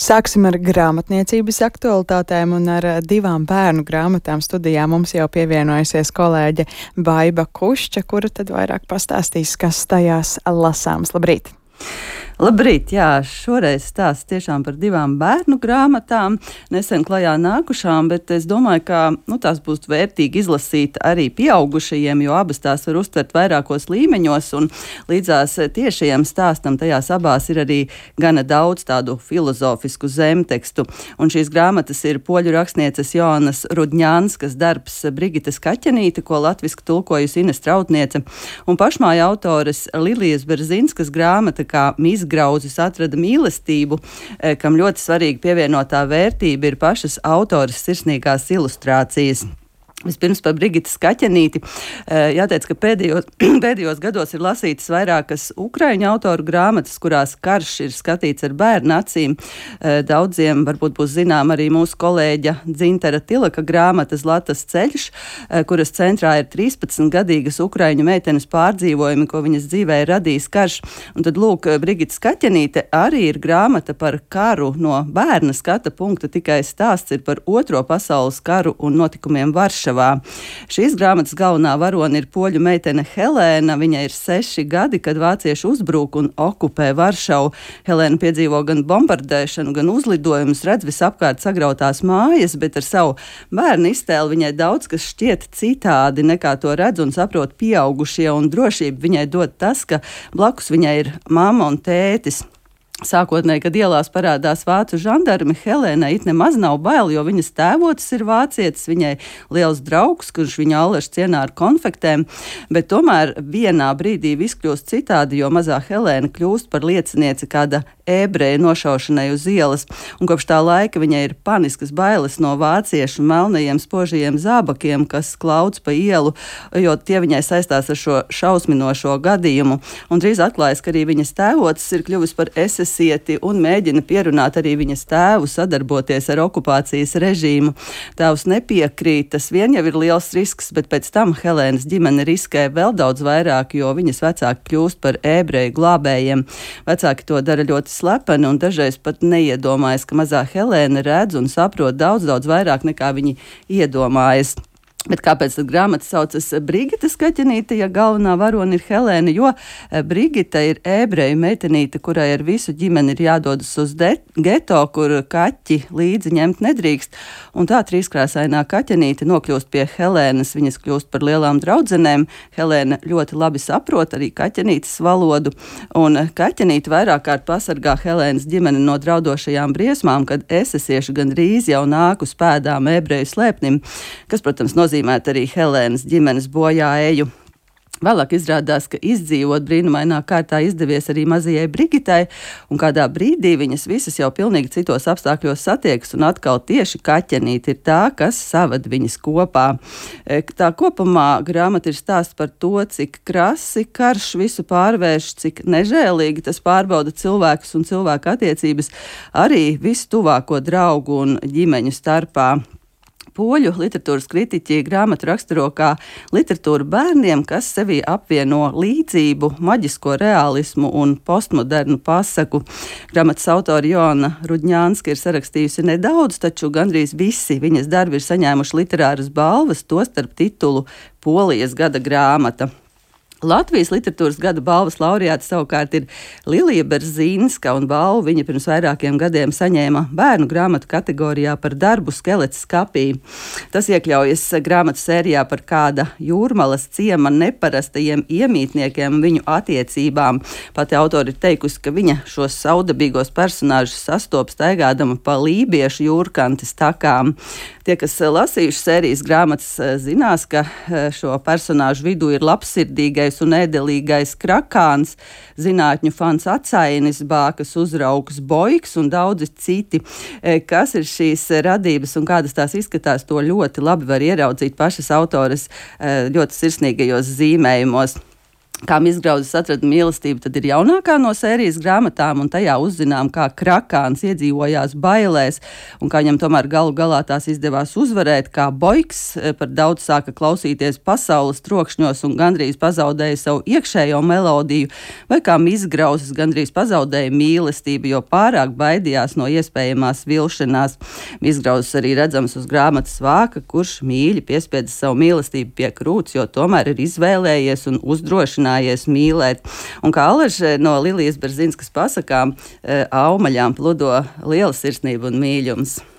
Sāksim ar grāmatniecības aktualitātēm un ar divām bērnu grāmatām. Studijā mums jau pievienojusies kolēģe Baiba Kušča, kura tad vairāk pastāstīs, kas tajās lasāms. Labrīt! Labrīt, jā, šoreiz stāsts tiešām par divām bērnu grāmatām, nesen klajā nākušām, bet es domāju, ka tās būs vērtīgi izlasīt arī pieaugušajiem, jo abas tās var uztvert vairākos līmeņos, un līdzās tiešajam stāstam tajās abās ir arī gana daudz tādu filozofisku zemtekstu. Un šīs grāmatas ir poļu rakstnieces Joannas Rudņānskas darbs Brigitas Kaķenīte, ko latviski tulkojusi Ines Trautniece, un pašmāja autores Lilijas Berzinskas grāmata, kā Mizgrauzis atrada mīlestību, kam ļoti svarīgi pievienotā vērtība ir pašas autores sirsnīgās ilustrācijas. Vispirms par Brigitas Kaķenīti. Jāteic, ka pēdējos gados ir lasītas vairākas ukraiņu autoru grāmatas, kurās karš ir skatīts ar bērnu acīm. Daudziem varbūt būs zinām arī mūsu kolēģa Dzintara Tilaka grāmata Zlatas ceļš, kuras centrā ir 13-gadīgas ukraiņu meitenes pārdzīvojumi, ko viņas dzīvē ir radījis karš. Un tad, lūk, Brigitas Kaķenīte arī ir grāmata par karu no bērna skata punkta, tikai stāsts ir par Otro pasaules karu un notikumiem Varšavā. Šīs grāmatas galvenā varone ir poļu meitene Helēna. Viņai ir 6 gadi, kad vācieši uzbrūk un okupē Varšavu. Helēna piedzīvo gan bombardēšanu, gan uzlidojumus, redz visapkārt sagrautās mājas, bet ar savu bērnu iztēli viņai daudz kas šķiet citādi nekā to redz un saprot pieaugušie, un drošību viņai dod tas, ka blakus viņai ir mamma un tētis. Sākotnēji, kad ielās parādās vācu žandarmi, Helēnai it nemaz nav bail, jo viņas tēvocis ir vācietis, viņai liels draugs, kurš viņu allaž cienā ar konfektēm, bet tomēr vienā brīdī viss kļūst citādi, jo mazā Helēna kļūst par liecinieci kāda ebreja nošaušanai uz ielas, un kopš tā laika viņai ir paniskas bailes no vāciešu melnajiem spožajiem zābakiem, kas klaudz pa ielu, jo tie viņai saistās ar šo šausminošo gadījumu, un drīz atklājas, ka arī viņas tēvocis ir kļuvis par esesieti un mēģina pierunāt arī viņas tēvu sadarboties ar okupācijas režīmu. Tēvs nepiekrīt, tas vien jau ir liels risks, bet pēc tam Helēnas ģimene riskē vēl daudz vairāk, jo viņas vecāki kļūst par ebreju glābējiem. Vecāki to dara ļoti slepeni un dažreiz pat neiedomājas, ka mazā Helēna redz un saprot daudz vairāk nekā viņi iedomājas. Bet kāpēc tad grāmata saucas Brigitas Kaķenīte, ja galvenā varone ir Helēna? Jo Brigita ir ebreju meitenīte, kurai ar visu ģimeni ir jādodas uz geto, kur kaķi līdzi ņemt nedrīkst. Un tā trīskrāsainā Kaķenīte nokļūst pie Helēnas, viņas kļūst par lielām draudzenēm. Helēna ļoti labi saprot arī Kaķenītes valodu, un Kaķenīte vairāk kārt pasargā Helēnas ģimeni no draudošajām briesmām, kad esesieši gandrīz jau nāk uz pēdām ebreju slēpnim, kas, protams, nozīmē arī Helēnas ģimenes bojāeju. Vēlāk izrādās, ka izdzīvot brīnumainā kārtā izdevies arī mazajai Brigitai, un kādā brīdī viņas visas jau pilnīgi citos apstākļos satiekas, un atkal tieši Kaķenīte ir tā, kas saved viņas kopā. Tā kopumā grāmata ir stāsts par to, cik krasi karš visu pārvērš, cik nežēlīgi tas pārbauda cilvēkus un cilvēku attiecības arī visu tuvāko draugu un ģimeņu starpā. Poļu literatūras kritiķi grāmatu raksturo kā literatūru bērniem, kas sevī apvieno līdzību, maģisko realismu un postmodernu pasaku. Grāmatas autori Joanna Rudņānska ir sarakstījusi nedaudz, taču gandrīz visi viņas darbi ir saņēmuši literāras balvas, tostarp titulu Polijas gada grāmata. Latvijas literatūras gada balvas laureāte savukārt ir Lilija Berzinska, un balvu viņa pirms vairākiem gadiem saņēma bērnu grāmatu kategorijā par darbu Skelets skapī. Tas iekļaujas grāmatu sērijā par kāda Jūrmalas ciema neparastajiem iemītniekiem un viņu attiecībām. Pati autori ir teikusi, ka viņa šos saudabīgos personāžus sastopas staigādama pa lībiešu jūrkantes takām. Tie, kas lasījuši sērijas grāmatas, zinās, ka šo personāžu vidū ir labsirdīgais un ēdelīgais Krakāns, zinātņu fans Acainis, bākas uzraugs Boiks un daudzi citi. Kas ir šīs radības un kādas tās izskatās, to ļoti labi var ieraudzīt pašas autores ļoti sirsnīgajos zīmējumos. Kā Mizgrauzes atrada mīlestību, tad ir jaunākā no sērijas grāmatām, un tajā uzzinām, kā Krakāns iedzīvojās bailēs, un kā viņam tomēr galu galā tās izdevās uzvarēt, kā Boiks par daudz sāka klausīties pasaules trokšņos un gandrīz pazaudēja savu iekšējo melodiju, vai kā Mizgrauzes gandrīz pazaudēja mīlestību, jo pārāk baidījās no iespējamās vilšanās. Mizgrauzes arī redzams uz grāmatas vāka, kurš mīļi piespiedz savu mīlestību pie krūts, jo tomēr ir izvēlējies un uzdrošinājies mīlēt. Un kā Alaža no Lilijas Berzinskas pasakām, aumaļām pludo liela sirsnība un mīļums.